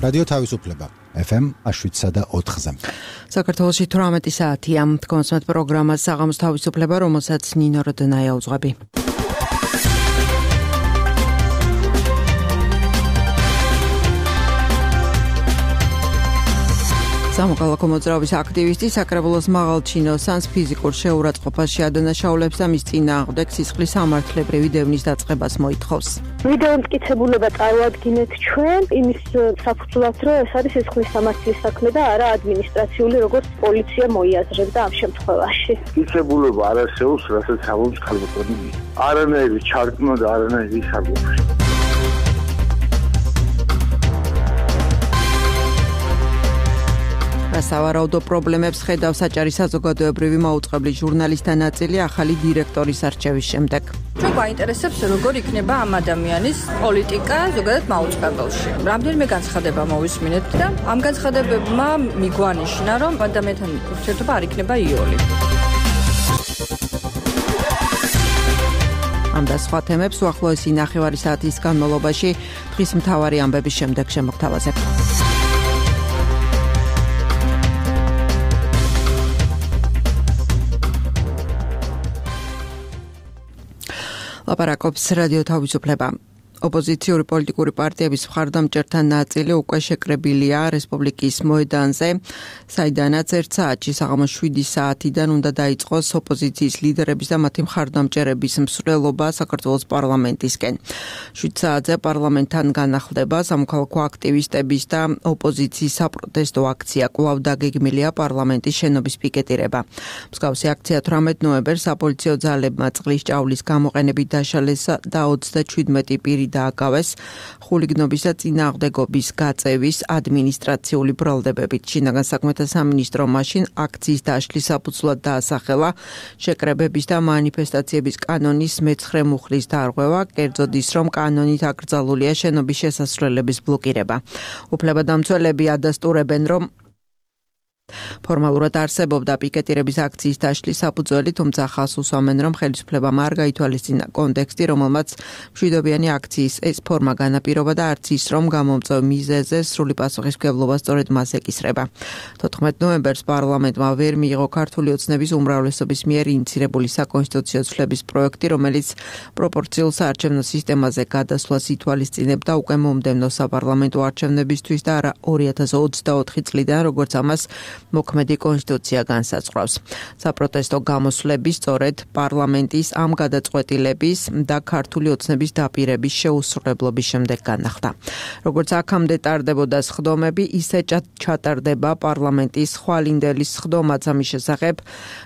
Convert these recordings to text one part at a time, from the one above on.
რადიო თავისუფლება FM 7.4-ზე. საქართველოში 18 საათია. კონსმეთ პროგრამას საღამოს თავისუფლება, რომელსაც ნინო როდნაია უძღვები. სამოქალაქო მოძრაობის აქტივისტი საკრებულოს მაღალჩინოსანს ფიზიკურ შეურაცხყოფას შეადანაშაულებს და მის წინააღმდეგ სისხლის სამართლებრივი დევნის დაწყებას მოითხოვს. ვიდეო მტკიცებულება წარმოადგინეთ ჩვენ იმის საფუძვლად, რომ ეს არის სისხლის სამართლის საქმე და არა ადმინისტრაციული, როგორც პოლიცია მოიაზრებდა ამ შემთხვევაში. მტკიცებულება არ არსებობს, რასაც ამობს ქალბატონი. არანაირი ჩარგმა და არანაირი საგუბრი. სავარაუდო პრობლემებს ხედავს საჭარი საზოგადოებრივი მაუწყებლის ჟურნალისტთა ნაწილი ახალი დირექტორის არჩევის შემდეგ. Ჩვენ გვაინტერესებს როგორ იქნება ამ ადამიანის პოლიტიკა ზოგადად მაუწყებელში. რამდენიმე განცხადება მოვისმინეთ და ამ განცხადებებმა მიგვანიშნა, რომ ადამიანთან ურთიერთობა არ იქნება იოლი. ამ და სხვა თემებს უახლოესი ნახევარი საათის განმავლობაში დღის მთავარი ამბების შემდეგ შემოგთავაზებ. ლაპარაკობს რადიო თავისუფლება. ოპოზიციური პოლიტიკური პარტიების მხარდამჭერთა ნაწილი უკვე შეკრებილია რესპუბლიკის მოედანზე, საიდანაც 1 საათში საღამოს 7 საათიდან უნდა დაიწყოს ოპოზიციის ლიდერების და მათი მხარდამჭერების მსვლელობა საქართველოს პარლამენტისკენ. 7 საათზე პარლამენტთან განახლდება სამოქალაქო აქტივისტების და ოპოზიციის საპროტესტო აქცია. კვლავ დაგეგმილია პარლამენტის შენობის პიკეტირება. მსგავსი აქცია 18 ნოემბერს საპოლიციო ძალებმა წყლის ჭაულის გამოყენებით დაშალეს და 37 პირი დააკავეს ხულიგნობის და წინააღმდეგობის გაწევის ადმინისტრაციული ბრალდებებით. შინაგან საქმეთა სამინისტრო მაშინ აქციის დაშლის საფუძვლად დაასახელა შეკრებების და მანიფესტაციების კანონის მე-9 მუხლის დარღვევა, კერძოდ ის, რომ კანონით აკრძალულია შენობის შესასვლელების ბლოკირება. უფლებადამცველები ადასტურებენ, რომ ფორმალურად არსებობდა პიკეტირების აქციის დაშლის საფუძველი, თუმცა ხაზს უსვამენ, რომ ხელისუფლებამ არ გაითვალისწინა კონტექსტი, რომელმაც მშვიდობიანი აქციის ეს ფორმა განაპირობა და არც ის, რომ გამომწვევ მიზეზზე სრული პასუხისმგებლობა სწორედ მას ეკისრება. 14 ნოემბერს პარლამენტმა ვერ მიიღო ქართული ოცნების უმრავლესობის მიერ ინიცირებული საკონსტიტუციო ცვლების პროექტი, რომელიც პროპორციულ საარჩევნო სისტემაზე გადასვლას ითვალისწინებდა უკვე მომდევნო საპარლამენტო არჩევნებისთვის და არა 2024 წლიდან, როგორც ამას მოქმედი კონსტიტუცია განსაზღვრავს. საპროტესტო გამოსვლები სწორედ პარლამენტის ამ გადაწყვეტილების და ქართული ოცნების დაპირების შეუსრულებლობის შემდეგ განახდა. როგორც აქამდე ტარდებოდა სხდომები, ისე ჩატარდება პარლამენტის ხვალინდელის სხდომაც. ამის შესახებ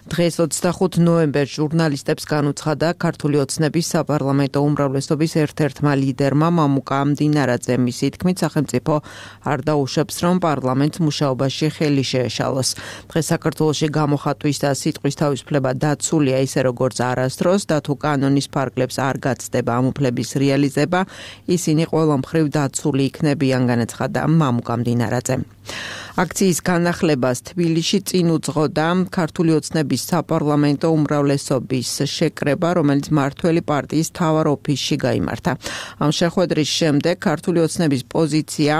დღეს 25 ნოემბერს ჟურნალისტებს განუცხადა ქართული ოცნების საპარლამენტო უმრავლესობის ერთ-ერთმა ლიდერმა მამუკა მდინარაძემ. მისი თქმით, სახელმწიფო არ დაუშვებს, რომ პარლამენტს მუშაობაში ხელი შეეშალოს. დღეს საქართველოში გამოხატვის და სიტყვის თავისუფლება დაცულია ისე როგორც არასდროს და თუ კანონის ფარგლებს არ გაცდება ამ უფლების რეალიზება, ისინი ყველა მხრივ დაცული იქნებიან, განაცხადა მამუკა მდინარაძემ. აქციის განახლებას თბილისში წინ უძღოდა ქართული ოცნების საპარლამენტო უმრავლესობის შეკრება, რომელიც მმართველი პარტიის მთავარ ოფისში გაიმართა. ამ შეხვედრის შემდეგ ქართული ოცნების პოზიცია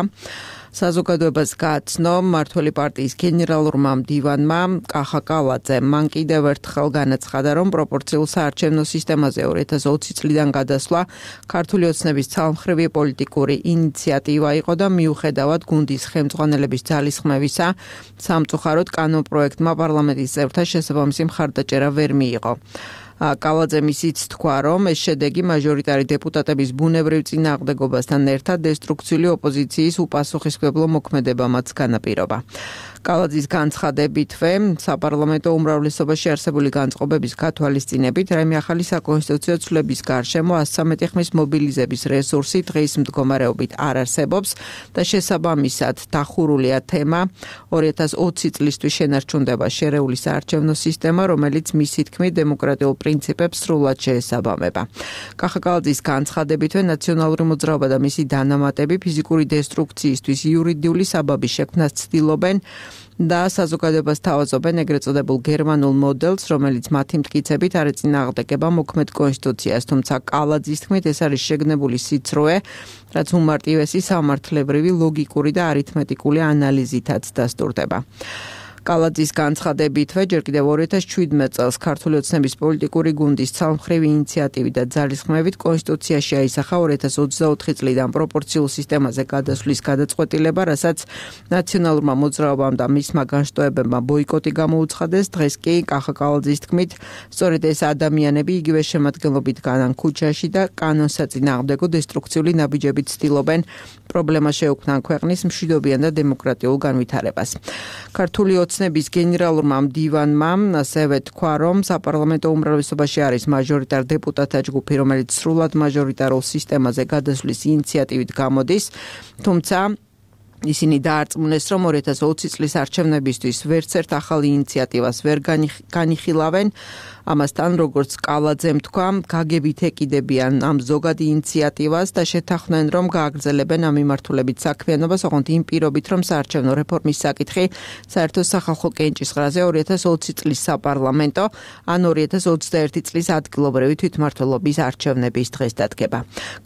საზოგადოებას გააცნო მმართველი პარტიის გენერალურმა მდივანმა კახა კალაძემ. მან კიდევ ერთხელ განაცხადა, რომ პროპორციულ საარჩევნო სისტემაზე 2020 წლიდან გადასვლა ქართული ოცნების ცალმხრივი პოლიტიკური ინიციატივა იყო და მიუხედავად გუნდის ხელმძღვანელების ძალისხმევისა, სამწუხაროდ კანონპროექტმა პარლამენტის წევრთა შესაბამისი მხარდაჭერა ვერ მიიღო. კალაძემ ისიც თქვა, რომ ეს შედეგი მაჟორიტარი დეპუტატების ბუნებრივ წინააღმდეგობასთან ერთად დესტრუქციული ოპოზიციის უპასუხისმგებლო მოქმედებამაც განაპირობა. კალაძის განცხადებითვე საპარლამენტო უმრავლესობაში არსებული განწყობების გათვალისწინებით რაიმე ახალი საკონსტიტუციო ცვლების გარშემო 113 ხმის მობილიზების რესურსი დღის მდგომარეობით არ არსებობს და შესაბამისად დახურულია თემა 2020 წლისთვის შენარჩუნდება შერეული საარჩევნო სისტემა, რომელიც მისი თქმით დემოკრატიულ პრინციპებს სრულად შეესაბამება. კახაკალაძის განცხადებითვე ნაციონალური მოძრაობა და მისი დანამატები ფიზიკური დესტრუქციისთვის იურიდიული საბაბის შექმნას ცდილობენ და საზოგადოებას თავაზობენ ეგრეთ წოდებულ გერმანულ მოდელს, რომელიც მათი მტკიცებით არ ეწინააღმდეგება მოქმედ კონსტიტუციას, თუმცა კალაძის თქმით ეს არის შეგნებული სიცრუე, რაც უმარტივესი სამართლებრივი, ლოგიკური და არითმეტიკული ანალიზითაც დასტურდება. კალაძის განცხადებითვე ჯერ კიდევ 2017 წელს ქართული ოცნების პოლიტიკური გუნდის ცალმხრივი ინიციატივით და ძალისხმევით კონსტიტუციაში აისახა 2024 წლიდან პროპორციულ სისტემაზე გადასვლის გადაწყვეტილება, რასაც ნაციონალურმა მოძრაობამ და მისმა განშტოებებმა ბოიკოტი გამოუცხადეს. დღეს კი კახაკალაძის თქმით, სწორედ ეს ადამიანები იგივე შემადგენლობით განან ქუჩაში და კანონსაწინააღმდეგო დესტრუქციული ნაბიჯებით ცდილობენ პრობლემა შეუქმნან ქვეყნის მშვიდობიან და დემოკრატიულ განვითარებას. ქართული ოცნების გენერალურმა მდივანმა ასევე თქვა, რომ საპარლამენტო უმრავლესობაში არის მაჟორიტარ დეპუტატთა ჯგუფი, რომელიც სრულად მაჟორიტარულ სისტემაზე გადასვლის ინიციატივით გამოდის, თუმცა ისინი დაარწმუნეს, რომ 2020 წლის არჩევნებისთვის ვერც ერთ ახალ ინიციატივას ვერ განიხილავენ. ამასთან, როგორც კალაძემ თქვა, გაგებით ეკიდებიან ამ ზოგად ინიციატივას და შეთანხმდნენ, რომ გააგრძელებენ ამ მიმართულებით საქმიანობას, ოღონდ იმ პირობით, რომ საარჩევნო რეფორმის საკითხი საერთო სახალხო კენჭისყრაზე 2020 წლის საპარლამენტო ან 2021 წლის ადგილობრივი თვითმმართველობის არჩევნების დღეს დადგება.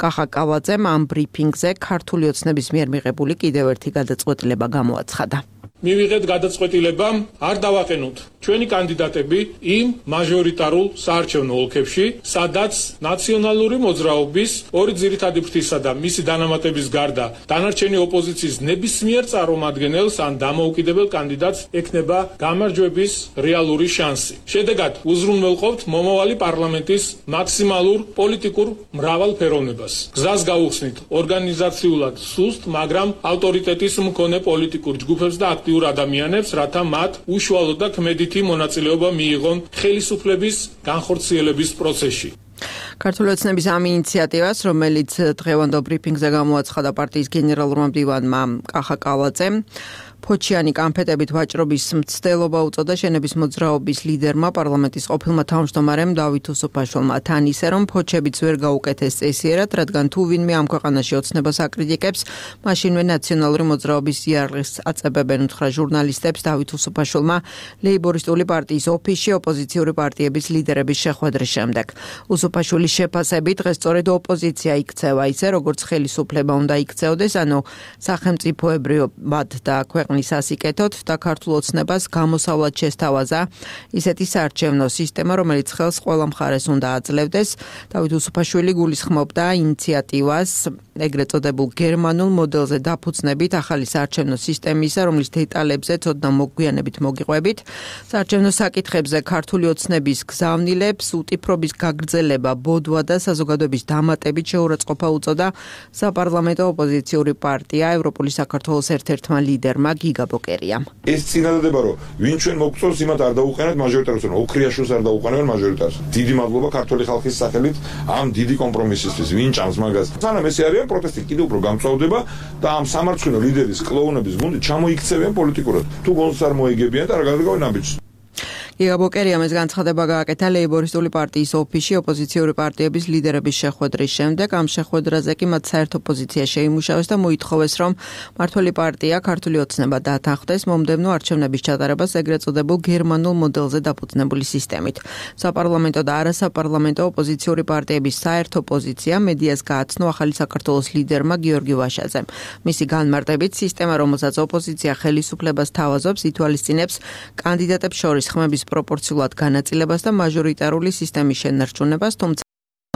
კახაკალაძემ ამ ბრიფინგზე ქართული ოცნების მიერ მიღებული კიდევ ერთი გადაწყვეტილება გამოაცხადა. მივიღეთ გადაწყვეტილება არ დავაყენოთ ჩვენი კანდიდატები იმ მაჟორიტარულ საარჩევნო ოლქებში, სადაც ნაციონალური მოძრაობის ორი ძირითადი ფრთისა და მისი დანამატების გარდა დანარჩენი ოპოზიციის ნებისმიერ წარმომადგენელს ან დამოუკიდებელ კანდიდატს ექნება გამარჯვების რეალური შანსი. შედეგად უზრუნველყოფთ მომავალი პარლამენტის მაქსიმალურ პოლიტიკურ მრავალფეროვნებას. გზას გავუხსნით ორგანიზაციულად სუსტ, მაგრამ ავტორიტეტის მქონე პოლიტიკურ ჯგუფებს და აქტიურ ადამიანებს, რათა მათ უშუალო და ქმედითი მონაწილეობა მიიღონ ხელისუფლების განხორციელების პროცესში. ქართული ოცნების ამ ინიციატივას, რომელიც დღევანდელ ბრიფინგზე გამოაცხადა პარტიის გენერალურმა მდივანმა კახაკალაძემ, ფოჩიანი კანფეტებით ვაჭრობის მცდელობა უწოდა შენების მოძრაობის ლიდერმა, პარლამენტის ყოფილმა თავმჯდომარემ დავით უსუფაშვილმა. თან ისე, რომ ფოჩებიც ვერ გაუკეთეს წესიერად, რადგან თუ ვინმე ამ ქვეყანაში ოცნებას აკრიტიკებს, მაშინვე ნაციონალური მოძრაობის იარაღს აწებებენ, უთხრა ჟურნალისტებს დავით უსუფაშვილმა ლეიბორისტული პარტიის ოფისში ოპოზიციური პარტიების ლიდერების შეხვედრის შემდეგ. უსუფაშვილის შეფასებით, დღეს სწორედ ოპოზიცია იქცევა ისე, როგორც ხელისუფლება უნდა იქცეოდეს, ანუ სახელმწიფოებრიობად და ქვეყნის ასიკეთოთ და ქართულ ოცნებას გამოსავლად შესთავაზა ისეთი საარჩევნო სისტემა, რომელიც ხელს ყველა მხარეს უნდა აძლევდეს. დავით უსუფაშვილი გულისხმობდა ინიციატივას ეგრეთ წოდებულ გერმანულ მოდელზე დაფუძნებით ახალი საარჩევნო სისტემისა, რომლის დეტალებზე ცოდნა მოგვიანებით მოგიყვებით. საარჩევნო საკითხებზე ქართული ოცნების გზავნილებს უტიფრობის გაგრძელება, ბოდვა და საზოგადოების დამატებით შეურაცხყოფა უწოდა საპარლამენტო ოპოზიციური პარტია ევროპული საქართველოს ერთ-ერთმა ლიდერმა გიგა ბოკერიამ. ეს წინადადება, რომ ვინ ჩვენ მოგწონს, იმათ არ დაუყენებთ მაჟორიტარს, ოქრიაშვილს არ დაუყენებენ მაჟორიტარს. დიდი მადლობა ქართული ხალხის სახელით ამ დიდი კომპრომისისთვის, ვინ ჭამს მაგას. სანამ ესე არის პროტესტი კიდევ უფრო გამწვავდება და ამ სამარცხვინო ლიდერის კლოუნების გუნდი ჩამოიქცევენ პოლიტიკურად. თუ გონს არ მოიგებიან და არ გადაგავენ ამბიჯს. გიგა ბოკერიამ ეს განცხადება გააკეთა ლეიბორისტული პარტიის ოფისში ოპოზიციური პარტიების ლიდერების შეხვედრის შემდეგ. ამ შეხვედრაზე კი მათ საერთო პოზიცია შეიმუშავეს და მოითხოვეს, რომ მმართველი პარტია ქართული ოცნება დათანხმდეს მომდევნო არჩევნების ჩატარებას ეგრეთ წოდებულ გერმანულ მოდელზე დაფუძნებული სისტემით. საპარლამენტო და არასაპარლამენტო ოპოზიციური პარტიების საერთო პოზიცია მედიას გააცნო ახალი საქართველოს ლიდერმა გიორგი ვაშაძემ. მისი განმარტებით, სისტემა, რომელსაც ოპოზიცია ხელისუფლებას თავაზობს, ითვალისწინებს კანდიდატებს შორის ხმების პროპორციულად განაწილებას და მაჟორიტარული სისტემის შენარჩუნებას, თუმცა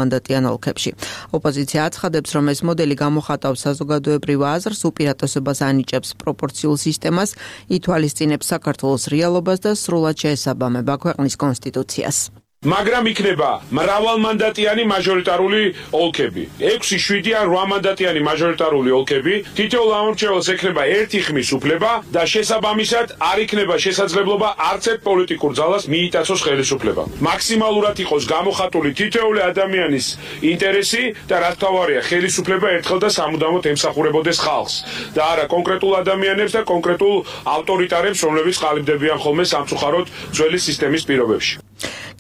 მანდატიან ოლქებში. ოპოზიცია აცხადებს, რომ ეს მოდელი გამოხატავს საზოგადოებრივ აზრს, უპირატესობას ანიჭებს პროპორციულ სისტემას, ითვალისწინებს საქართველოს რეალობას და სრულად შეესაბამება ქვეყნის კონსტიტუციას. მაგრამ იქნება მრავალმანდატიანი მაჟორიტარული ოლქები. 6, 7 ან 8 მანდატიანი მაჟორიტარული ოლქები, თითოეულ ამორჩეულს ექნება ერთი ხმის უფლება და შესაბამისად არ იქნება შესაძლებლობა არც ერთ პოლიტიკურ ძალას მიიტაცოს ხელისუფლება. მაქსიმალურად იყოს გამოხატული თითოეული ადამიანის ინტერესი და რაც თავარია ხელისუფლება ერთხელ და სამუდამოდ ემსახურებოდეს ხალხს და არა კონკრეტულ ადამიანებს და კონკრეტულ ავტორიტარებს, რომლებიც ყალიბდებიან ხოლმე სამწუხაროდ ძველი სისტემის პირობებში.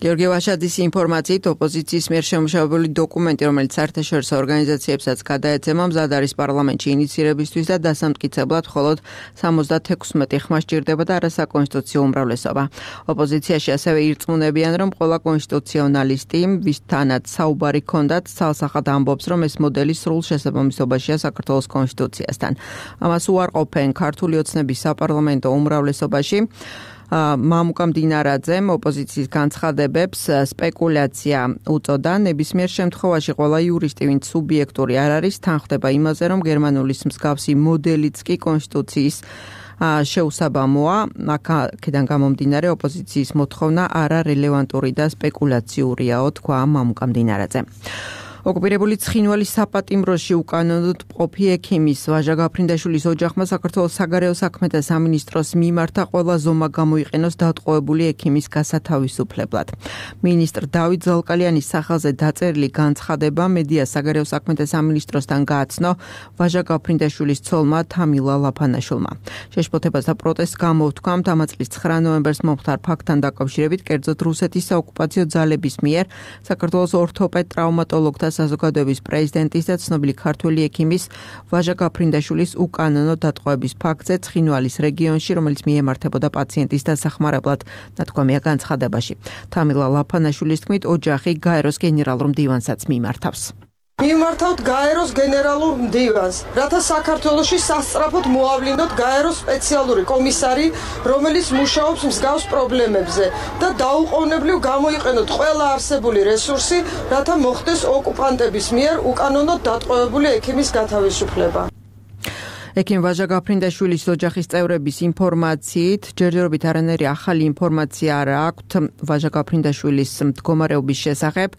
გიორგი ვაშაძის ინფორმაციით ოპოზიციის მიერ შემუშავებული დოკუმენტი, რომელიც საერთაშორისო ორგანიზაციებსაც გადაეცემა, მზად არის პარლამენტში ინიცირებისთვის და დასამტკიცებლად მხოლოდ 76 ხმა სჭირდება და არასაკონსტიტუციო უმრავლესობა. ოპოზიციაში ასევე ირწმუნებიან, რომ ყველა კონსტიტუციონალისტი, ვისთანაც საუბარი ჰქონდათ, ცალსახად ამბობს, რომ ეს მოდელი სრულ შესაბამისობაშია საქართველოს კონსტიტუციასთან. ამას უარყოფენ ქართული ოცნების საპარლამენტო უმრავლესობაში. მამუკა მდინარაძემ ოპოზიციის განცხადებებს სპეკულაცია უწოდა. ნებისმიერ შემთხვევაში ყველა იურისტი, ვინც სუბიექტური არ არის, თან ხდება იმაზე, რომ გერმანულის მსგავსი მოდელიც კი კონსტიტუციის შეუსაბამოა. აქედან გამომდინარე ოპოზიციის მოთხოვნა არარელევანტური და სპეკულაციურიაო, თქვა მამუკა მდინარაძემ. ოკუპირებული ცხინვალის საპატიმროში უკანონოდ მყოფი ექიმის ვაჟა გაფრინდაშვილის ოჯახმა საქართველოს საგარეო საქმეთა სამინისტროს მიმართა ყველა ზომა გამოიყენოს დატყვევებული ექიმის გასათავისუფლებლად. მინისტრ დავით ზალკალიანის სახელზე დაწერილი განცხადება მედია საგარეო საქმეთა სამინისტროსთან გააცნო ვაჟა გაფრინდაშვილის ცოლმა თამილა ლაფანაშვილმა. შეშფოთებასა პროტესტს გამოთქვამთ ამ წლის 9 ნოემბერს მომხდარ ფაქტთან დაკავშირებით, კერძოდ რუსეთის საოკუპაციო ძალების მიერ საქართველოს ორთოპედ ტრავმატოლოგთა საზოგადოების პრეზიდენტის და ცნობილი ქართველი ექიმის ვაჟა გაფრინდაშვილის უკანონო დატყვევების ფაქტზე ცხინვალის რეგიონში, რომელიც მიემართებოდა პაციენტის დასახმარებლად, ნათქვამია განცხადებაში. თამილა ლაფანაშვილის თქმით, ოჯახი გაეროს გენერალურ მდივანსაც მიმართავს. მიმართავთ გაეროს გენერალურ მდივანს, რათა საქართველოში სასწრაფოდ მოავლინოთ გაეროს სპეციალური კომისარი, რომელიც მუშაობს მსგავს პრობლემებზე და დაუყოვნებლივ გამოიყენოთ ყველა არსებული რესურსი, რათა მოხდეს ოკუპანტების მიერ უკანონოდ დატყვევებული ექიმის გათავისუფლება. ექიმ ვაჟა გაფრინდაშვილის ოჯახის წევრების ინფორმაციით, ჯერჯერობით არანაირი ახალი ინფორმაცია არ აქვთ ვაჟა გაფრინდაშვილის მდგომარეობის შესახებ.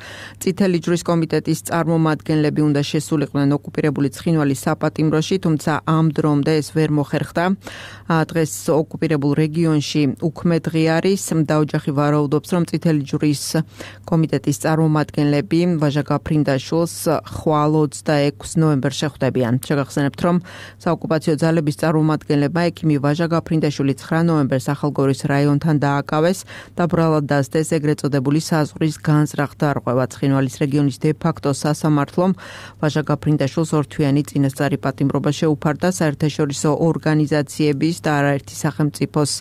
წითელი ჯვრის კომიტეტის წარმომადგენლები უნდა შესულიყვნენ ოკუპირებული ცხინვალის საპატიმროში, თუმცა ამ დრომდე ეს ვერ მოხერხდა. დღეს ოკუპირებულ რეგიონში უქმე დღე არის და ოჯახი ვარაუდობს, რომ წითელი ჯვრის კომიტეტის წარმომადგენლები ვაჟა გაფრინდაშვილს ხვალ 26 ნოემბერს შეხვდებიან. შეგახსენებთ, რომ ოკუპაციო ძალების წარმომადგენლებმა ექიმი ვაჟა გაფრინდაშვილი 9 ნოემბერს ახალგორის რაიონთან დააკავეს და ბრალად დასდეს ეგრეთ წოდებული საზღვრის განზრახ დარღვევა. ცხინვალის რეგიონის დე-ფაქტო სასამართლომ ვაჟა გაფრინდაშვილს ორთვიანი წინასწარი პატიმრობა შეუფარდა საერთაშორისო ორგანიზაციების და არაერთი სახელმწიფოს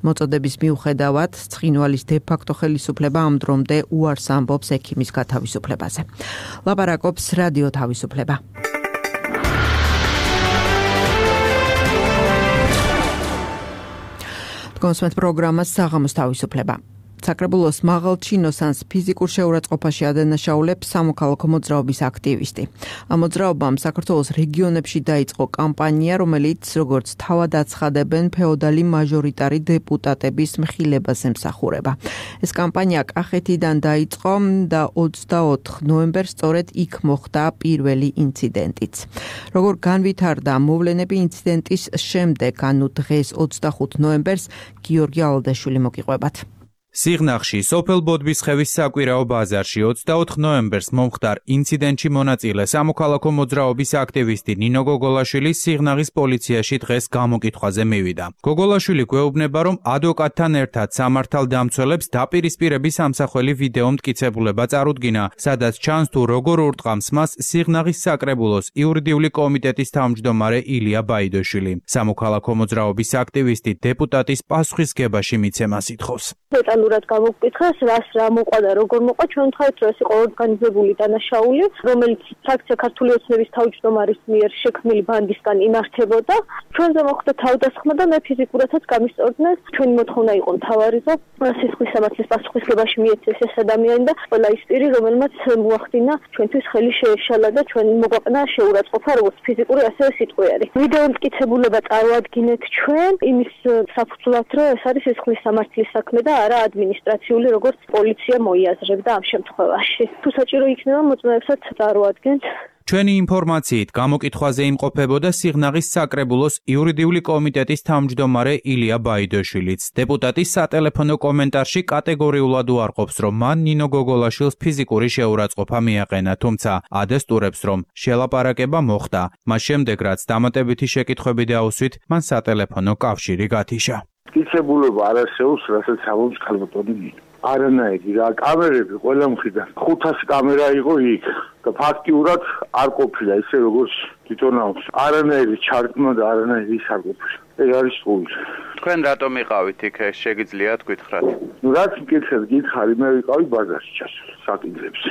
მოწოდების მიუხედავად. ცხინვალის დე-ფაქტო ხელისუფლება ამ დრომდე უარს ამბობს ექიმის გათავისუფლებაზე. ლაპარაკობს რადიო თავისუფლება. კონსუმენტ პროგრამას საღამოს თავისუფლება. საკრებულოს მაღალჩინოსანს ფიზიკურ შეურაცხყოფაში ადანაშაულებს სამოქალაქო მოძრაობის აქტივისტი. ამ მოძრაობამ საქართველოს რეგიონებში დაიწყო კამპანია, რომელიც როგორც თავად აცხადებენ, ფეოდალი მაჟორიტარი დეპუტატების მხილებას ემსახურება. ეს კამპანია კახეთიდან დაიწყო და 24 ნოემბერს სწორედ იქ მოხდა პირველი ინციდენტიც. როგორ განვითარდა მოვლენები ინციდენტის შემდეგ, ანუ დღეს 25 ნოემბერს გიორგი ალდაშვილი მოგიყვებათ. სიღნაღში სოფელ ბოდბისხევის საკვირაო ბაზარში 24 ნოემბერს მომხდარ ინციდენტში მონაწილე სამოქალაქო მოძრაობის აქტივისტი ნინო გოგოლაშვილი სიღნაღის პოლიციაში დღეს გამოკითხვაზე მივიდა. გოგოლაშვილი გვეუბნება, რომ ადვოკატთან ერთად სამართალდამცველებს დაპირისპირების ამსახველი ვიდეო მტკიცებულება წარუდგინა, სადაც ჩანს თუ როგორ ურტყამს მას სიღნაღის საკრებულოს იურიდიული კომიტეტის თავმჯდომარე ილია ბაიდოშვილი. სამოქალაქო მოძრაობის აქტივისტი დეპუტატის პასუხისგებაში მიცემას ითხოვს. დეტალურად გამოგკითხეს, რას რა მოყვა და როგორ მოყვა, ჩვენ ვთქვით, რომ ეს იყო ორგანიზებული დანაშაული, რომელიც ფრაქცია ქართული ოცნების თავმჯდომარის მიერ შექმნილი ბანდისგან იმართებოდა. ჩვენზე მოხდა თავდასხმა და მე ფიზიკურადაც გამისწორდნენ. ჩვენი მოთხოვნა იყო მთავარი, რომ სისხლის სამართლის პასუხისგებაში მიეცეს ეს ადამიანი და ყველა ის პირი, რომელმაც მოახდინა ჩვენთვის ხელი შეეშალა და ჩვენ მოგვაყნა შეურაცხყოფა, როგორც ფიზიკური, ასევე სიტყვიერი. ვიდეო მტკიცებულება წარვადგინეთ ჩვენ იმის საფუძვლად, რომ ეს არის სისხლის სამართლის საქმე და არა ადმინისტრაციული, როგორც პოლიცია მოიაზრებდა ამ შემთხვევაში. თუ საჭირო იქნება, მოწმეებსაც წარვადგენთ. ჩვენი ინფორმაციით გამოკითხვაზე იმყოფებოდა სიღნაღის საკრებულოს იურიდიული კომიტეტის თავმჯდომარე ილია ბაიდოშვილიც. დეპუტატის სატელეფონო კომენტარში კატეგორიულად უარყოფს, რომ მან ნინო გოგოლაშვილს ფიზიკური შეურაცხყოფა მიაყენა, თუმცა ადესტურებს, რომ შელაპარაკება მოხდა. მას შემდეგ, რაც დამატებითი შეკითხვები დაუსვით, მან სატელეფონო კავშირი გათიშა. მტკიცებულება არ არსებობს, რასაც ამბობს ქალბატონი ნინო. არანაირი რა კამერები ყველა მხრიდან 500 კამერა იყო იქ და ფაქტიურად არ ყოფილა ისე როგორც თვითონ აქვს არანაირი ჩარტმა და არანაირი ის არ ყოფილა ეს არის სულ თქვენ რატომ იყავით იქ შეგიძლიათ გითხრათ ნუ რაც მკითხეთ გითხარი მე ვიყავი ბაზარში ჩასული საკითხებს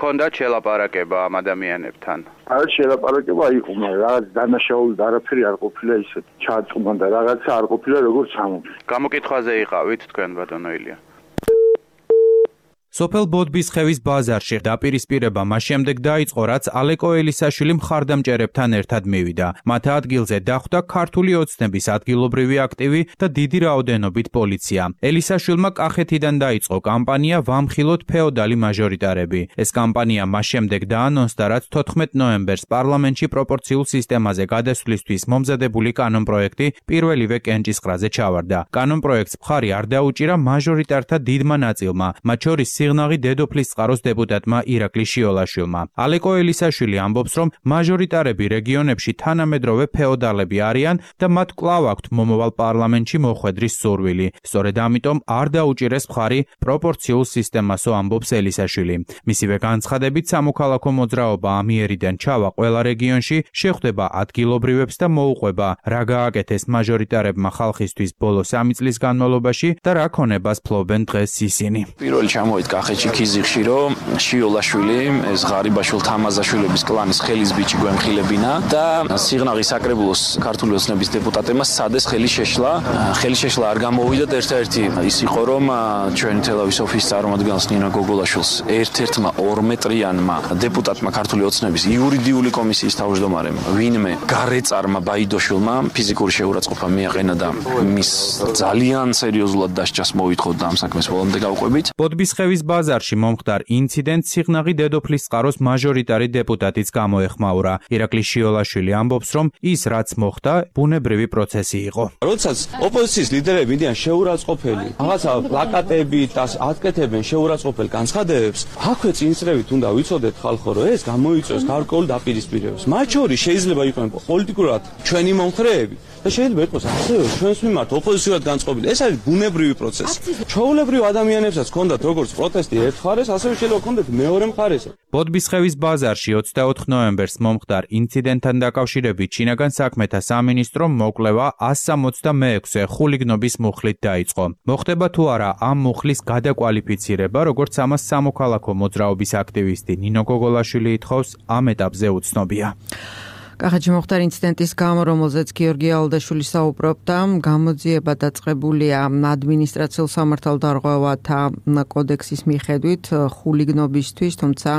ქონდათ შელაპარაკება ამ ადამიანებთან არ შელაპარაკება იყო მაგრამ რაღაც დანაშაული და არაფერი არ ყოფილა ისე ჩაწყმა და რაღაცა არ ყოფილა როგორც ამბობ გამოკითხვაზე იყავით თქვენ ბატონო ილია სოფელ ბოდბისხევის ბაზარში დაპირისპირება მას შემდეგ დაიწყო, რაც ალეკო ელისაშვილი მხარდამჭერებთან ერთად მივიდა. მათ ადგილზე დახვდა ქართული ოცნების ადგილობრივი აქტივი და დიდი რაოდენობით პოლიცია. ელისაშვილმა კახეთიდან დაიწყო კამპანია „ვამხილოთ ფეოდალი მაჟორიტარები“. ეს კამპანია მას შემდეგ დაანონსდა, რაც 14 ნოემბერს პარლამენტში პროპორციულ სისტემაზე გადასვლისთვის მომზადებული კანონპროექტი პირველივე კენჭისყრაზე ჩავარდა. კანონპროექტს მხარი არ დაუჭირა მაჟორიტართა დიდმა ნაწილმა, მათ შორის სიღნაღი დედოფლის წყაროს დეპუტატმა ირაკლი შიოლაშვილმა. ალეკო ელისაშვილი ამბობს, რომ მაჟორიტარები რეგიონებში თანამედროვე ფეოდალები არიან და მათ კვლავ აქვთ მომავალ პარლამენტში მოხვედრის სურვილი. სწორედ ამიტომ არ დაუჭირეს მხარი პროპორციულ სისტემასო ამბობს ელისაშვილი. მისივე განცხადებით სამოქალაქო მოძრაობა ამიერიდან ჩავა ყველა რეგიონში, შეხვდება ადგილობრივებს და მოუყვება, რა გააკეთეს მაჟორიტარებმა ხალხისთვის ბოლო 3 წლის განმავლობაში და რა ქონებას ფლობენ დღეს ისინი. პირველი ჩამოვიდა კახეთში ქიზიყში, რომ შიოლაშვილი, ეს ღარიბაშვილ თამაზაშვილების კლანის ხელის ბიჭი გვემხილებინა და სიღნაღის საკრებულოს ქართული ოცნების დეპუტატებმა სადეს ხელი შეშლა. ხელი შეშლა არ გამოვიდათ ერთ-ერთი ის იყო, რომ ჩვენი თელავის ოფისის წარმომადგენელს ნინო გოგოლაშვილს ერთ-ერთმა 2 მეტრიანმა დეპუტატმა ქართული ოცნების იურიდიული კომისიის თავმჯდომარემ ვინმე გარეწარმა ბაიდოშვილმა ფიზიკური შეურაცხყოფა მიაყენა და მის ძალიან სერიოზულად დასჯას მოითხოვდა ამ საქმეს ბოლომდე გავყვებით. ბოდბისხევის ბაზარში მომხდარ ინციდენტს სიღნაღი დედოფლის წყაროს მაჟორიტარი დეპუტატიც გამოეხმაურა. ირაკლი შიოლაშვილი ამბობს, რომ ის რაც მოხდა, ბუნებრივი პროცესი იყო. როდესაც ოპოზიციის ლიდერები მიდიან შეურაცხყოფელი, რაღაცა პლაკატებით და აკეთებენ შეურაცხყოფელ განცხადებებს, აქვე წინსწრევით უნდა ვიცოდეთ ხალხო, რომ ეს გამოიწვევს გარკვეულ დაპირისპირებებს. მათ შორის შეიძლება იყვნენ პოლიტიკურად ჩვენი მომხრეები და შეიძლება იყოს ასევე ჩვენს მიმართ ოპოზიციურად განწყობილი. ეს არის ბუნებრივი პროცესი. ჩვეულებრივ ადამიანებსაც ჰქონდათ როგორც პროტესტი ერთ მხარეს, ასევე შეიძლება ჰქონდეთ მეორე მხარეს. ბოდბისხევის ბაზარში 24 ნოემბერს მომხდარ ინციდენტთან დაკავშირებით შინაგან საქმეთა სამინისტრომ მოკვლევა 166 ხულიგნობის მუხლით დაიწყო. მოხდება თუ არა ამ მუხლის გადაკვალიფიცირება, როგორც ამას სამოქალაქო მოძრაობის აქტივისტი ნინო გოგოლაშვილი ითხოვს, ამ ეტაპზე უცნობია. კახეთში მოხდა ინციდენტის გამო, რომელზეც გიორგი ალდაშვილი საუბრობდა, გამოძიება დაწყებულია ადმინისტრაციულ სამართალდარღვევათა კოდექსის მიხედვით ხულიგნობისთვის, თუმცა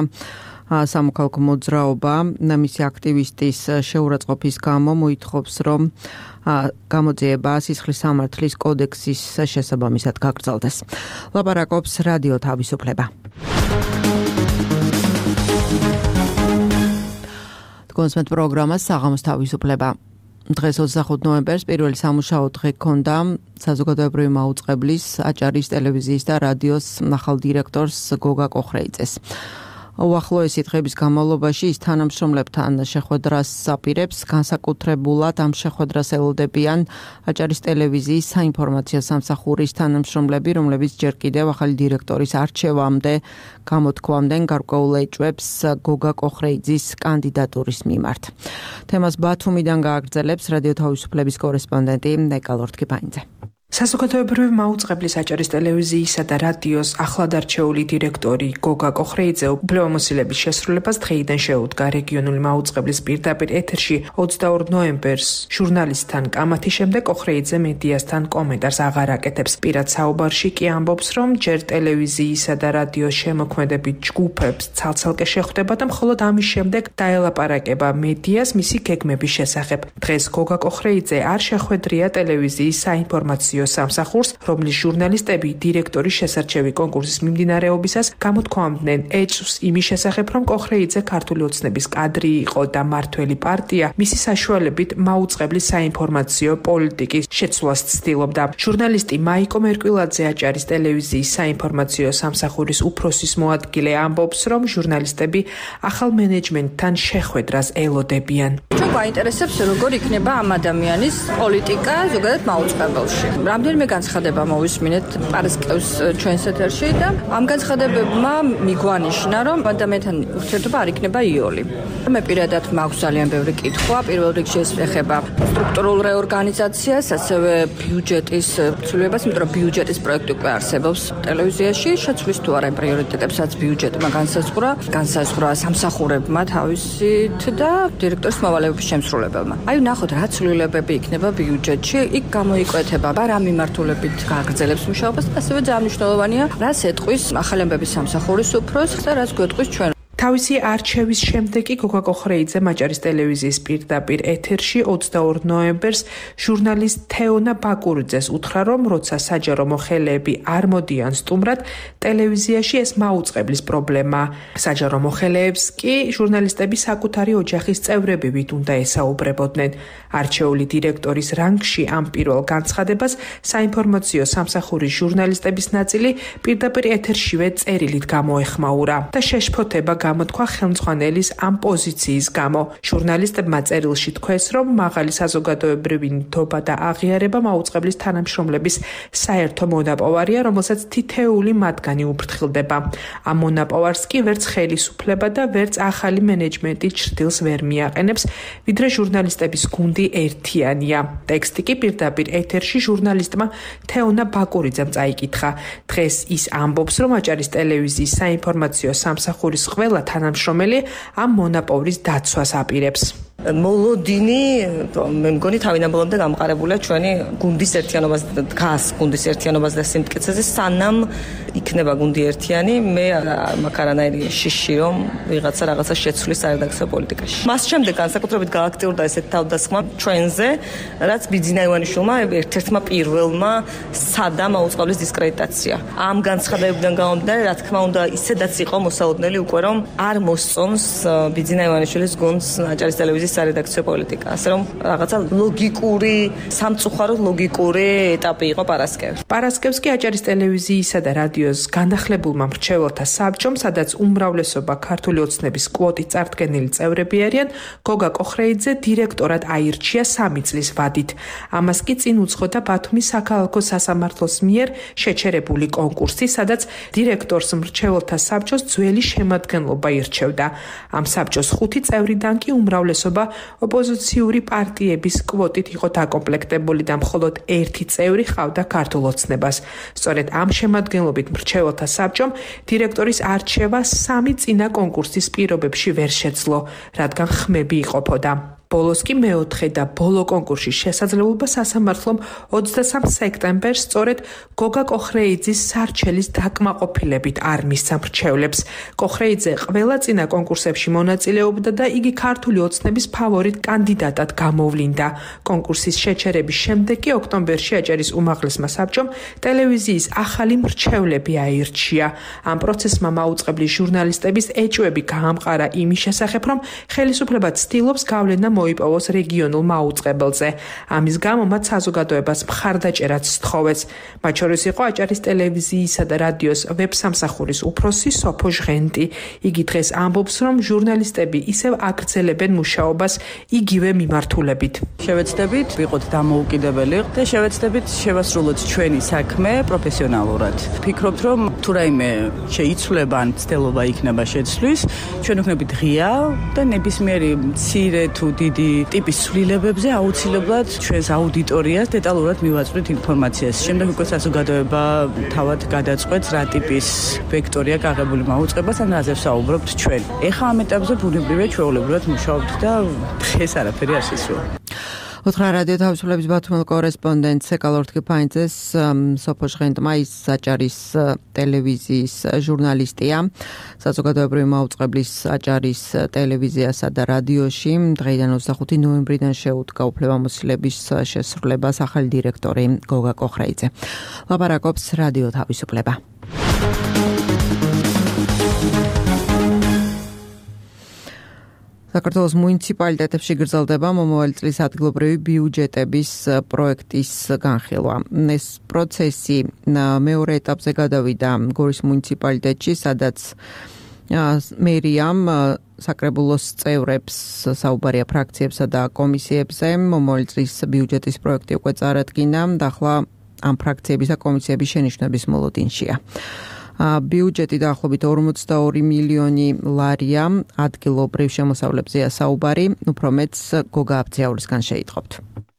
სამოქალაქო მოძრაობა მისი აქტივისტის შეურაცხყოფის გამო მოითხოვს, რომ გამოძიება სისხლის სამართლის კოდექსის შესაბამისად გაგრძელდეს. ლაპარაკობს რადიო თავისუფლება. კონსმეთ პროგრამას საღამოს თავისუფლება. დღეს 25 ნოემბერს პირველი სამუშაო დღე ქონდა საზოგადოებრივი მაუწყებლის აჭარის ტელევიზიის და რადიოს ახალ დირექტორს გოგა კოხრეიძეს. უახლოესი დღების განმავლობაში ის თანამშრომლებთან შეხვედრას აპირებს, განსაკუთრებულად ამ შეხვედრას ელოდებიან აჭარის ტელევიზიის საინფორმაციო სამსახურის თანამშრომლები, რომლებიც ჯერ კიდევ ახალი დირექტორის არჩევამდე გამოთქვამდნენ გარკვეულ ეჭვებს გოგა კოხრეიძის კანდიდატურის მიმართ. თემას ბათუმიდან გააგრძელებს რადიო თავისუფლების კორესპონდენტი ნეკალორთქიფაინძე. საზოგადოებრივი მაუწყებლის აჭარის ტელევიზიისა და რადიოს ახლად არჩეული დირექტორი გოგა კოხრეიძე უფლებამოსილების შესრულებას დღეიდან შეუდგა რეგიონული მაუწყებლის პირდაპირ ეთერში 22 ნოემბერს ჟურნალისტთან კამათის შემდეგ კოხრეიძე მედიასთან კომენტარს აღარ აკეთებს. პირად საუბარში კი ამბობს, რომ ჯერ ტელევიზიისა და რადიოს შემოქმედებით ჯგუფებს ცალ-ცალკე შეხვდება და მხოლოდ ამის შემდეგ დაელაპარაკება მედიას მისი გეგმების შესახებ. დღეს გოგა კოხრეიძე არ შეხვედრია ტელევიზიის საინფორმაციო სამსახურს, რომლის ჟურნალისტები დირექტორის შესარჩევი კონკურსის მიმდინარეობისას გამოთქვამდნენ ეჭვს იმის შესახებ, რომ კოხრეიძე ქართული ოცნების კადრი იყო და მართველი პარტია მისი საშუალებით მაუწყებლის საინფორმაციო პოლიტიკის შეცვლას ცდილობდა. ჟურნალისტი მაიკო მერკვილაძე აჭარის ტელევიზიის საინფორმაციო სამსახურის უფროსის მოადგილე ამბობს, რომ ჟურნალისტები ახალ მენეჯმენტთან შეხვედრას ელოდებიან. ჩვენ გვაინტერესებს, როგორ იქნება ამ ადამიანის პოლიტიკა ზოგადად მაუწყებელში. რამდენიმე განცხადება მოვისმინეთ პარასკევს ჩვენს ეთერში და ამ განცხადებებმა მიგვანიშნა, რომ ადამიანთან ურთიერთობა არ იქნება იოლი. მე პირადად მაქვს ძალიან ბევრი კითხვა, პირველ რიგში ეს ეხება სტრუქტურულ რეორგანიზაციას, ასევე ბიუჯეტის ცვლილებას, იმიტომ რომ ბიუჯეტის პროექტი უკვე არსებობს ტელევიზიაში, შეცვლის თუ არა პრიორიტეტებსაც ბიუჯეტმა განსაზღვრა სამსახურებმა თავისით და დირექტორის მოვალეობის შემსრულებელმა. აი ნახოთ რა ცვლილებები იქნება ბიუჯეტში, იქ გამოიკვეთება რა მიმართულებით გააგრძელებს მუშაობას და ასევე ძალიან მნიშვნელოვანია რას ეტყვის ახალი ამბების სამსახურის უფროსს და რას გვეტყვის ჩვენ. თავისი არჩევის შემდეგ კი გოგა კოხრეიძე მაჭარის ტელევიზიის პირდაპირ ეთერში 22 ნოემბერს ჟურნალისტ თეონა ბაკურიძეს უთხრა, რომ როცა საჯარო მოხელეები არ მოდიან სტუმრად, ტელევიზიაში ეს მაუწყებლის პრობლემა. საჯარო მოხელეებს კი ჟურნალისტები საკუთარი ოჯახის წევრებივით უნდა ესაუბრებოდნენ. არჩეული დირექტორის რანგში ამ პირველ განცხადებას საინფორმაციო სამსახურის ჟურნალისტების ნაწილი პირდაპირ ეთერშივე წერილით გამოეხმაურა და შეშფოთება გამოთქვა ხელმძღვანელის ამ პოზიციის გამო. ჟურნალისტებმა წერილში თქვეს, რომ მაღალი საზოგადოებრივი ნდობა და აღიარება მაუწყებლის თანამშრომლების საერთო მონაპოვარია, რომელსაც თითეული მათგანი უფრთხილდება. ამ მონაპოვარს კი ვერც ხელისუფლება და ვერც ახალი მენეჯმენტი ჩრდილს ვერ მიაყენებს, ვიდრე ჟურნალისტების გუნდი ერთიანია. ტექსტი კი პირდაპირ ეთერში ჟურნალისტმა თეონა ბაკურიძემ წაიკითხა. დღეს ის ამბობს, რომ აჭარის ტელევიზიის საინფორმაციო სამსახურის ყველა თანამშრომელი ამ მონაპოვრის დაცვას აპირებს. მოლოდინი მე მგონი თავინაბოლომდე გამყარებულია ჩვენი გუნდის ერთიანობას დგას გუნდის ერთიანობას და სიმტკიცეზე სანამ იქნება გუნდი ერთიანი მე მაქვს არანაირი შიში რომ რაღაცა შეცვლის სარედაქციო პოლიტიკაში. მას შემდეგ განსაკუთრებით გააქტიურდა ესეთ თავდასხმა ჩვენზე, რაც ბიძინა ივანიშვილმა ერთ-ერთმა პირველმა სადა მაუწყებლის დისკრედიტაცია. ამ განცხადებებიდან გამომდინარე, რა თქმა უნდა, ისედაც იყო მოსაოდნელი უკვე რომ არ მოსწონს ბიძინა ივანიშვილის გუნდს აჭარის ტელევიზიის სარედაქციო პოლიტიკა. ასე რომ რაღაცა ლოგიკური, სამწუხაროდ ლოგიკური ეტაპი იყო პარასკევს. პარასკევს კი აჭარის ტელევიზიისა და რადიოს განახლებულმა მრჩეველთა საბჭომ, სადაც უმრავლესობა ქართული ოცნების კვოტით წარდგენილი წევრები არიან, გოგა კოხრეიძე დირექტორად აირჩია 3 წლის ვადით. ამას კი წინ უძღოდა ბათუმის საქალაქო სასამართლოს მიერ შეჩერებული კონკურსი, სადაც დირექტორს მრჩეველთა საბჭოს ძველი შემადგენლობა ირჩევდა. ამ საბჭოს 5 წევრიდან კი უმრავლესობა ოპოზიციური პარტიების კვოტით იყო დაკომპლექტებული და მხოლოდ 1 წევრი ჰყავდა ქართულ ოცნებას. სწორედ ამ შემადგენლობით მრჩეველთა საბჭომ დირექტორის არჩევა 3 წინა კონკურსის პირობებში ვერ შეძლო, რადგან ხმები იყოფოდა. ბოლოს კი მეოთხე და ბოლო კონკურსის შესაძლებლობა სასამართლომ 23 სექტემბერს სწორედ გოგა კოხრეიძის სარჩელის დაკმაყოფილებით არ მისცა მრჩევლებს. კოხრეიძე ყველა წინა კონკურსებში მონაწილეობდა და იგი ქართული ოცნების ფავორიტ კანდიდატად გამოვლინდა. კონკურსის შეჩერების შემდეგ კი ოქტომბერში აჭარის უმაღლესმა საბჭომ ტელევიზიის ახალი მრჩევლები აირჩია. ამ პროცესმა მაუწყებლის ჟურნალისტების ეჭვები გაამყარა იმის შესახებ, რომ ხელისუფლება ცდილობს გავლენა მოიპოვოს რეგიონულ მაუწყებელზე. ამის გამო მათ საზოგადოებას მხარდაჭერაც სთხოვეს. მათ შორის იყო აჭარის ტელევიზიისა და რადიოს ვებსამსახურის უფროსი სოფო ჟღენტი. იგი დღეს ამბობს, რომ ჟურნალისტები ისევ აგრძელებენ მუშაობას იგივე მიმართულებით. შევეცდებით ვიყოთ დამოუკიდებელი და შევეცდებით შევასრულოთ ჩვენი საქმე პროფესიონალურად. ვფიქრობთ, რომ თუ რაიმე შეიცვლება ან ცდელობა იქნება შეცვლის, ჩვენ ვქნებით ღია და ნებისმიერი მცირე თუ დიდი ტიპის ცვლილებებზე აუცილებლად ჩვენს აუდიტორიას დეტალურად მივაწვდით ინფორმაციას. შემდეგ უკვე საზოგადოება თავად გადაწყვეტს რა ტიპის ვექტორია გაღებული მაუწყებას ან რაზე ვსაუბრობთ ჩვენ. ეხლა ამ ეტაპზე ბუნებრივია ჩვეულებრივად მუშაობთ და დღეს არაფერი არ შეცვლა. უთხრა რადიო თავისუფლების ბათუმელ კორესპონდენტ სეკალორთკი ფაინძეს სოფო ჟღენტმა ის აჭარის ტელევიზიის ჟურნალისტია. საზოგადოებრივი მაუწყებლის აჭარის ტელევიზიასა და რადიოში დღეიდან 25 ნოემბრიდან შეუდგა უფლებამოსილების შესრულებას ახალი დირექტორი გოგა კოხრეიძე. ლაპარაკობს რადიო თავისუფლება. საქართველოს მუნიციპალიტეტებში გრძელდება მომავალი წლის ადგილობრივი ბიუჯეტების პროექტის განხილვა. ეს პროცესი მეორე ეტაპზე გადავიდა გორის მუნიციპალიტეტში, სადაც მერიამ საკრებულოს წევრებს საუბარია ფრაქციებსა და კომისიებზე. მომავალი წლის ბიუჯეტის პროექტი უკვე წარადგინა და ახლა ამ ფრაქციების და კომისიების შენიშვნების მოლოდინშია. ბიუჯეტი დაახლოებით 42 მილიონი ლარია, ადგილობრივ შემოსავლებზეა საუბარი, უფრო მეც გოგა აბძიაურისგან შეიტყობთ.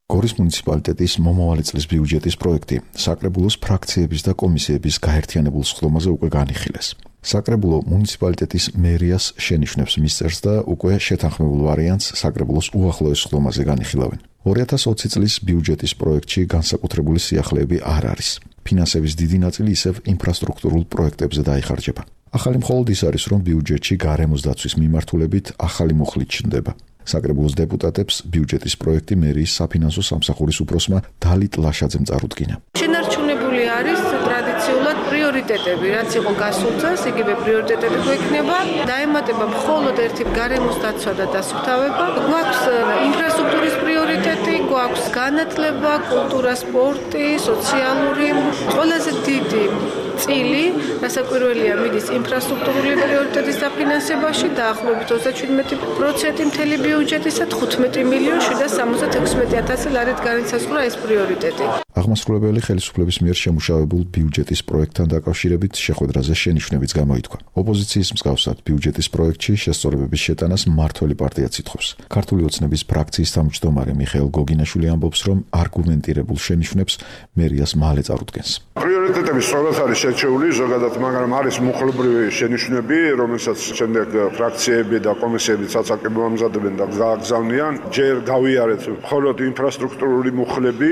გორის მუნიციპალიტეტის მომავალი წლის ბიუჯეტის პროექტი საკრებულოს ფრაქციების და კომისიების გაერთიანებულ სხდომაზე უკვე განიხილეს. საკრებულო მუნიციპალიტეტის მერიას შენიშვნებს მისწერს და უკვე შეთანხმებულ ვარიანტს საკრებულოს უახლოეს სხდომაზე განიხილავენ. 2020 წლის ბიუჯეტის პროექტში განსაკუთრებული სიახლეები არ არის. ფინანსების დიდი ნაწილი ისევ ინფრასტრუქტურულ პროექტებზე დაიხარჯება. ახალი მხოლოდ ის არის, რომ ბიუჯეტში გარემოს დაცვის მიმართულებით ახალი მუხლით ჩნდება. საკრებულოს დეპუტატებს ბიუჯეტის პროექტი მერიის საფინანსო სამსახურის უფროსმა დალით ლაშაძემ წარუდგინა. შენარჩუნებული არის ტრადიციულად პრიორიტეტები, რაც იყო გასულ წელს, იგივე პრიორიტეტები გვექნება, დაემატება მხოლოდ ერთი გარემოს დაცვა და დასუფთავება. გვაქვს ინფრასტრუქტურის პრიორიტეტი, გვაქვს განათლება, კულტურა, სპორტი, სოციალური, ყველაზე დიდი წილი, რასაკვირველია, მიდის ინფრასტრუქტურული პრიორიტეტის დაფინანსებაში, დაახლოებით 37% მთელი ბიუჯეტისა 15,766,000 ლარით განისაზღვრა ეს პრიორიტეტი. აღმასრულებელი ხელისუფლების მიერ შემუშავებულ ბიუჯეტის პროექტთან დაკავშირებით შეხვედრაზე შენიშვნებიც გამოითქვა. ოპოზიციის მსგავსად ბიუჯეტის პროექტში შესწორებების შეტანას მმართველი პარტიაც ითხოვს. ქართული ოცნების ფრაქციის თავმჯდომარე მიხეილ გოგინაშვილი ამბობს, რომ არგუმენტირებულ შენიშვნებს მერიას მალე წარუდგენს. პრიორიტეტები სწორად არის შერჩეული, ზოგადად, მაგრამ არის მუხლობრივი შენიშვნები, რომელსაც შემდეგ ფრაქციები და კომისიები საცაკებო ამზადებენ და გააგზავნიან. ჯერ გავიარეთ მხოლოდ ინფრასტრუქტურული მუხლები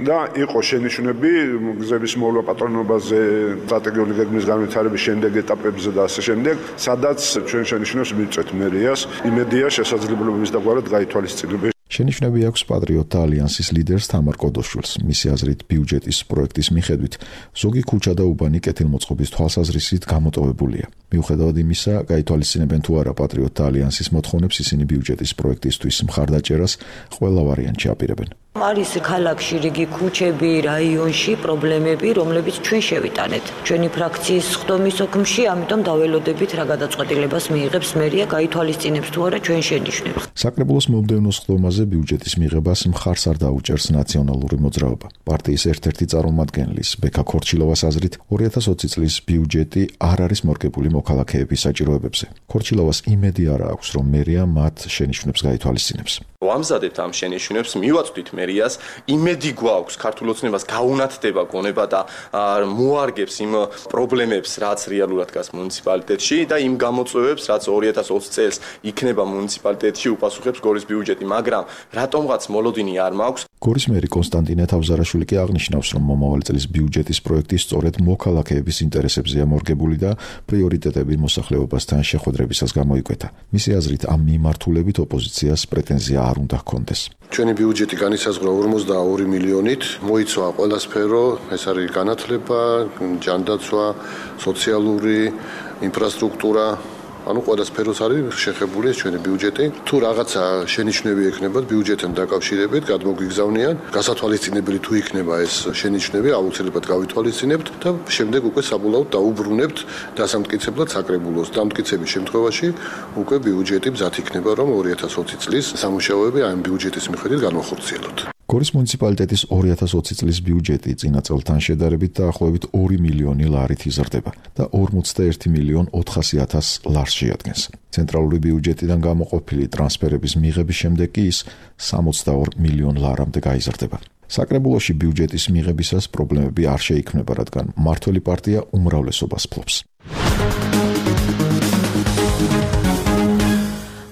და იყო შენიშვნები გზების მოვლა პატრონობაზე, სტრატეგიული გეგმის განვითარების შემდეგ ეტაპებზე და ასე შემდეგ, სადაც ჩვენ შენიშვნებს მივწვეთ მერიას, იმედია შესაძლებლობების დაგვარად გაითვალისწინებენ. შენიშვნები აქვს პატრიოტთა ალიანსის ლიდერს თამარ კოდოშვილს. მისი აზრით, ბიუჯეტის პროექტის მიხედვით, ზოგი ქუჩა და უბანი კეთილმოწყობის თვალსაზრისით გამოტოვებულია. მიუხედავად იმისა, გაითვალისწინებენ თუ არა პატრიოტთა ალიანსის მოთხოვნებს, ისინი ბიუჯეტის პროექტისთვის მხარდაჭერას ყველა ვარიანტში აპირებენ. არის ქალაქში რიგი ქუჩები, რაიონში პრობლემები, რომლებიც ჩვენ შევიტანეთ. ჩვენი ფრაქციის სხდომის ოქმში, ამიტომ დაველოდებით რა გადაწყვეტილებას მიიღებს მერია, გაითვალისწინებს თუ არა ჩვენ შენიშვნებს. საკრებულოს მომდევნო სხდომაზე ბიუჯეტის მიღებას მხარს არ დაუჭერს ნაციონალური მოძრაობა. პარტიის ერთ-ერთი წარმომადგენლის ბექა ქორჩილოვას აზრით, 2020 წლის ბიუჯეტი არ არის მორგებული მოქალაქეების საჭიროებებზე. ქორჩილოვას იმედი არ აქვს, რომ მერია მათ შენიშვნებს გაითვალისწინებს. ვამზადებთ ამ შენიშვნებს, მივაწვდით მერიას, იმედი გვაქვს ქართულ ოცნებას გაუნათდება გონება და მოარგებს იმ პრობლემებს, რაც რეალურად დგას მუნიციპალიტეტში და იმ გამოწვევებს, რაც 2020 წელს იქნება მუნიციპალიტეტში უპასუხებს გორის ბიუჯეტი, მაგრამ რატომღაც მოლოდინი არ მაქვს. გორის მერი კონსტანტინე თავზარაშვილი კი აღნიშნავს, რომ მომავალი წლის ბიუჯეტის პროექტი სწორედ მოქალაქეების ინტერესებზეა მორგებული და პრიორიტეტები მოსახლეობასთან შეხვედრებისას გამოიკვეთა. მისი აზრით, ამ მიმართულებით ოპოზიციას პრეტენზია არ უნდა ჰქონდეს. ჩვენი ბიუჯეტი განისაზღვრა 42 მილიონით, მოიცვა ყველა სფერო, ეს არის განათლება, ჯანდაცვა, სოციალური ინფრასტრუქტურა. ანუ ყველა სფეროს არის შეხებული ეს ჩვენი ბიუჯეტი. თუ რაღაცა შენიშვნები ექნებათ ბიუჯეტთან დაკავშირებით, გადმოგვიგზავნიან, გასათვალისწინებელი თუ იქნება ეს შენიშვნები, აუცილებლად გავითვალისწინებთ და შემდეგ უკვე საბოლოოდ დაუბრუნებთ დასამტკიცებლად საკრებულოს. დამტკიცების შემთხვევაში უკვე ბიუჯეტი მზად იქნება, რომ 2020 წლის სამუშაოები ამ ბიუჯეტის მიხედვით განვახორციელოთ. გორის მუნიციპალიტეტის 2020 წლის ბიუჯეტი წინა წელთან შედარებით დაახლოებით 2 მილიონი ლარით იზრდება და 41,400,000 ლარს შეადგენს. ცენტრალური ბიუჯეტიდან გამოყოფილი ტრანსფერების მიღების შემდეგ კი ის 62 მილიონ ლარამდე გაიზრდება. საკრებულოში ბიუჯეტის მიღებისას პრობლემები არ შეიქმნება, რადგან მმართველი პარტია უმრავლესობას ფლობს.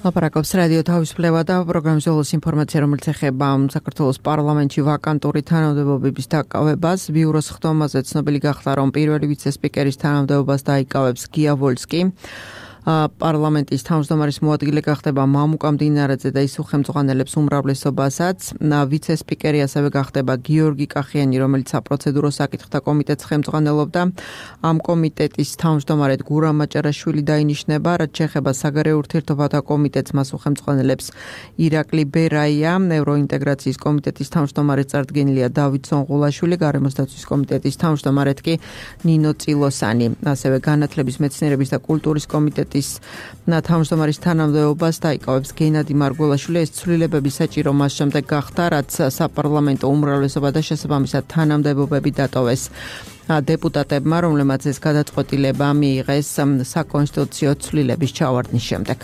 ლაპარაკობს რადიო თავისუფლება და პროგრამის ბოლოს ინფორმაცია, რომელიც ეხება საქართველოს პარლამენტში ვაკანტური თანამდებობების დაკავებას. ბიუროს სხდომაზე ცნობილი გახდა, რომ პირველი ვიცე-სპიკერის თანამდებობას დაიკავებს გია ვოლსკი. პარლამენტის თავმჯდომარის მოადგილე გახდება მამუკა მდინარაძე და ის უხელმძღვანელებს უმრავლესობასაც. ვიცე-სპიკერი ასევე გახდება გიორგი კახიანი, რომელიც საპროცედურო საკითხთა კომიტეტს ხელმძღვანელობდა. ამ კომიტეტის თავმჯდომარედ გურამ მაჭარაშვილი დაინიშნება, რაც შეეხება საგარეო ურთიერთობათა კომიტეტს, მას უხელმძღვანელებს ირაკლი ბერაია, ევროინტეგრაციის კომიტეტის თავმჯდომარედ წარდგენილია დავით სონღულაშვილი, გარემოს დაცვის კომიტეტის თავმჯდომარედ კი ნინო წილოსანი, ასევე განათლების, მეცნიერების და კულტურის კომიტეტის კომიტეტის თავმჯდომარის თანამდებობას დაიკავებს გენადი მარგველაშვილი. ეს ცვლილებები საჭირო მას შემდეგ გახდა, რაც საპარლამენტო უმრავლესობა და შესაბამისად თანამდებობები დატოვეს დეპუტატებმა, რომლებმაც ეს გადაწყვეტილება მიიღეს საკონსტიტუციო ცვლილების ჩავარდნის შემდეგ.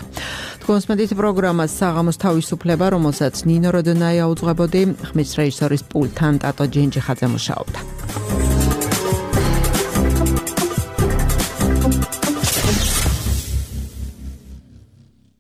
თქვენს მედით პროგრამას საღამოს თავისუფლება, რომელსაც ნინო როდონაია უძღვებოდი, ხმის რეჟისორის პულტთან ტატო ჯენჯიხაძე მუშაობდა.